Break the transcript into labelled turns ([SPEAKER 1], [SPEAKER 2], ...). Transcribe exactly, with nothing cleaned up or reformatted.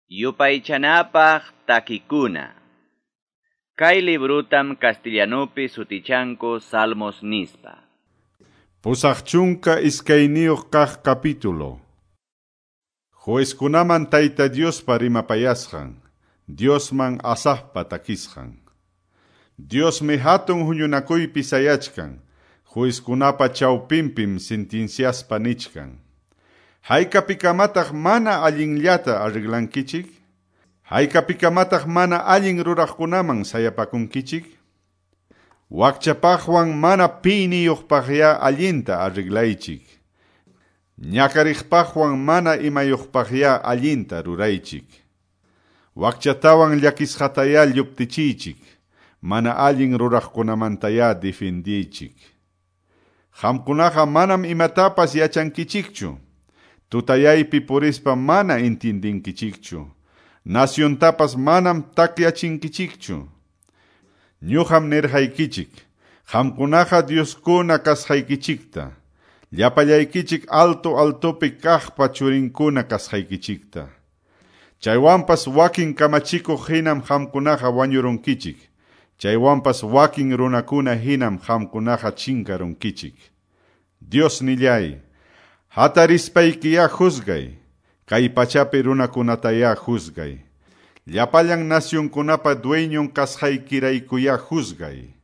[SPEAKER 1] Yupaychanapaq takikuna. Kay librutam castellanupi sutichanku Salmos nispa.
[SPEAKER 2] Pusaq chunka iskayniyuq kaq capítulo. Juezkunaman Tayta Diospa rimapayasqan, Diosman Asafpa takisqan. Diosmi hatun huñunakuypi sayachkan, juezkunapa chawpinpim sentenciaspa nichkan. Haykapikamataq mana allinllata arreglankichik? Haykapikamataq mana allin ruraqkunaman sayapakunkichik? Wakchapaqwan mana piniyuqpaqya allinta arreglaychik. Ñakariqpaqwan mana imayuqpaqya allinta ruraychik. Wakchatawan llakisqataya lluptichiychik, mana allin ruraqkunamantaya defendiychik. Qamkunaqa manam imatapas yachankichikchu. Tutayaypi purispa mana intindinkichikchu. Naciontapas manam takyachinkichikchu. Ñuqam nirqaykichik, qamkunaqa Dioskuna kasqaykichikta. Llapallaykichik alto altopi kaqpa churinkuna kasqaykichikta. Chaywanpas wakin kamachikuq hinam qamkunaqa wañurunkichik. Chaywanpas wakin runakuna hinam qamkunaqa chinkarunkichik. Dios nillay, hatarispaykiyá juzgay, kay pachapi runakunatayá juzgay. Llapallan nacionkunapa dueñon kasqaykiraykuyá juzgay.